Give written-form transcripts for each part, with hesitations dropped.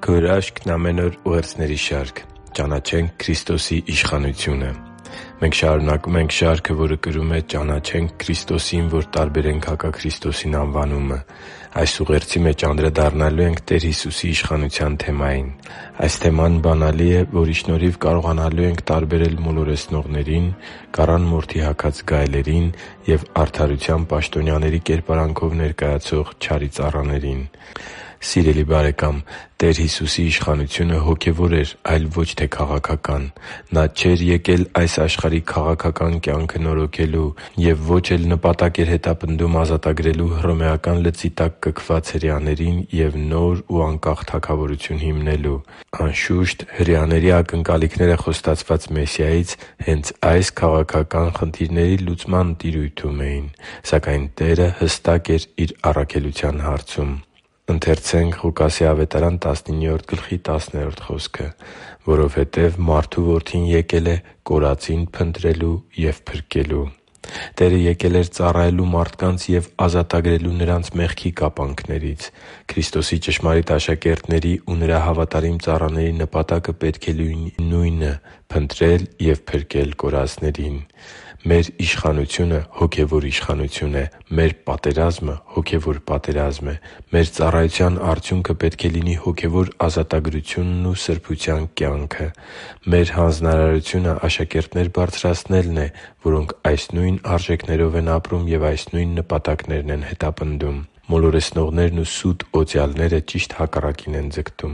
Քո հրաշքն ամեն օր ուղերձների շարք։ Ճանաչենք Քրիստոսի իշխանությունը։ Մենք շարունակում ենք շարքը, որը կրում է «Ճանաչենք Քրիստոսին, որ տարբերենք հակաքրիստոսին» անվանումը։ Այս ուղերձի մեջ անդրադառնալու ենք Տեր Հիսուսի իշխանության թեմային։ Այս թեման բանալի է, որի շնորհիվ կարողանալու ենք տարբերել մոլորեցնողներին, կառան մորթի հագած գայլերին և արդարության պաշտոնյաների կերպարանքով ներկայացող չարի ծառաներին։ Սիրելի՛ բարեկամ, Տեր Հիսուսի իշխանությունը հոգևոր էր, այլ ոչ թե քաղաքական։ Նա չէր եկել այս աշխարհի քաղաքական կյանքը նորոգելու և ոչ էլ նպատակ էր հետապնդում ազատագրելու հռոմեական լծի տակ կքված հրեաներին և նոր ու անկախ թագավորություն հիմնելու։ Անշուշտ, հրեաների ակնկալիքները խոստացված Մեսիայից հենց այս քաղաքական խնդիրների լուծման տիրույթում էին։ Սակայն Տերը հստակ էր Իր առաքելության հարցում։ «Որովհետև Մարդու Որդին եկել է կորածին փնտրելու և փրկելու» (Ղուկաս 19․10): Տերը եկել էր ծառայելու մարդկանց և ազատագրելու նրանց մեղքի կապանքներից։ Քրիստոսի ճշմարիտ աշակերտների ու Նրա հավատարիմ ծառաների նպատակը պետք է լինի նույնը՝ փնտրել և փրկել կորածներին։ Մեր իշխանությունը հոգևոր իշխանություն է։ Մեր պատերազմը հոգևոր պատերազմ է։ Մեր ծառայության արդյունքը պետք է լինի հոգևոր ազատագրությունն ու սրբության կյանքը։ Մեր հանձնարարությունը աշակերտներ բարձրացնելն է, որոնք այս նույն արժեքներով են ապրում և այս նույն նպատակներն են հետապնդում։ Մոլորեցնողներն ու սուտ օծյալները ճիշտ հակառակին են ձգտում։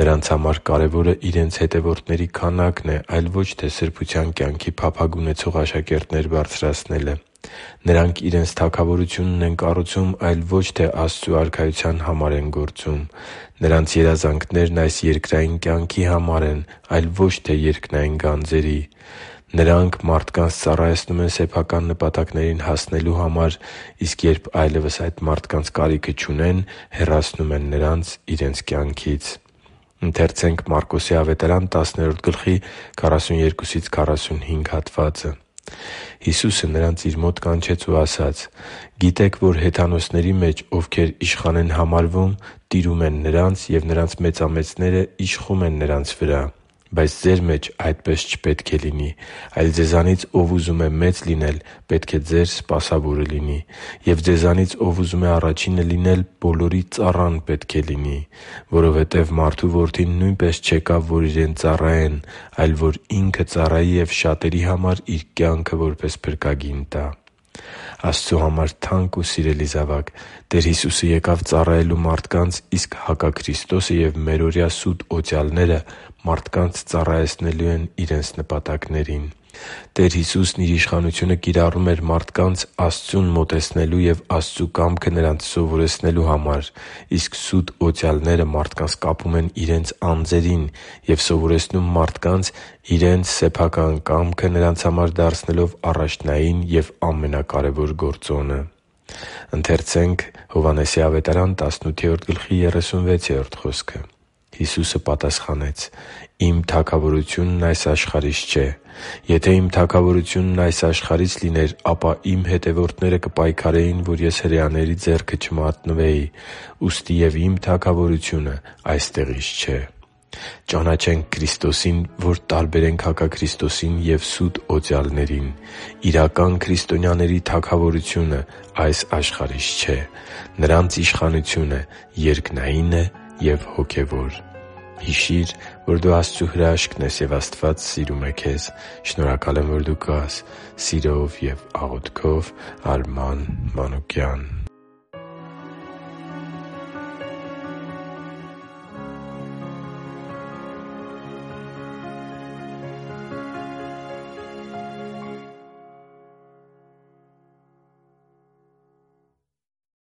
Նրանց համար կարևորը իրենց հետևորդների քանակն է, այլ ոչ թե սրբության կյանքի փափագ ունեցող աշակերտներ բարձրացնելը։ Նրանք իրենց թագավորությունն են կառուցում, այլ ոչ թե Աստծու Արքայության համար են գործում։ Նրանց երազանքներն այս երկրային կյանքի համար են, այլ ոչ թե երկնային գանձերի։ Նրանք մարդկանց ծառայեցնում են սեփական նպատակներին հասնելու համար, իսկ երբ այլևս այդ մարդկանց կարիքը չունեն, հեռացնում են նրանց իրենց կյանքից։ Հիսուսը նրանց Իր մոտ կանչեց ու ասաց. «Գիտեք, որ հեթանոսների մեջ, ովքեր իշխան են համարվում, տիրում են նրանց, և նրանց մեծամեծները իշխում են նրանց վրա։ Բայց ձեր մեջ այդպես չպետք է լինի, այլ ձեզանից ով ուզում է մեծ լինել, պետք է ձեր սպասավորը լինի։ Եվ ձեզանից ով ուզում է առաջինը լինել, բոլորի ծառան պետք է լինի։ Որովհետև Մարդու Որդին նույնպես չեկավ, որ Իրեն ծառայեն, այլ որ Ինքը ծառայի և շատերի համար Իր կյանքը որպես փրկագին տա» (Մարկոս 10․10-15): Աստծու համար թանկ ու սիրելի՛ զավակ, Տեր Հիսուսը եկավ ծառայելու մարդկանց, իսկ հակաքրիստոսը և մերօրյա սուտ օծյալները մարդկանց ծառայեցնելու են իրենց նպատակներին։ Տեր Հիսուսն Իր իշխանությունը կիրառում էր մարդկանց Աստծուն մոտեցնելու և Աստծու կամքը նրանց սովորեցնելու համար, իսկ սուտ օծյալները մարդկանց կապում են իրենց անձերին և սովորեցնում մարդկանց իրենց սեփական կամքը նրանց համար դարձնելով առաջնային և ամենակարևոր գործոնը։ Հիսուսը պատասխանեց. «Իմ թագավորությունն այս աշխարհից չէ։ Եթե իմ թագավորությունն այս աշխարհից լիներ, ապա իմ հետևորդները կպայքարեին, որ ես հրեաների ձեռքը չմատնվեի։ Ուստի և իմ թագավորությունը այստեղից չէ» (Հովհաննես 18․30): Ճանաչենք Քրիստոսին, որ տարբերենք հակաքրիստոսին և սուտ օծյալներին։ Իրական քրիստոնյաների թագավորությունը այս աշխարհից չէ։ Նրանց իշխանությունը երկնային է և հոգևոր։ Հիշի՛ր, որ դու Աստծո հրաշքն ես, և Աստված սիրում է քեզ։ Շնորհակալ եմ, որ դու կա՛ս։ Սիրով և աղոթքով, Արման Մանուկյան։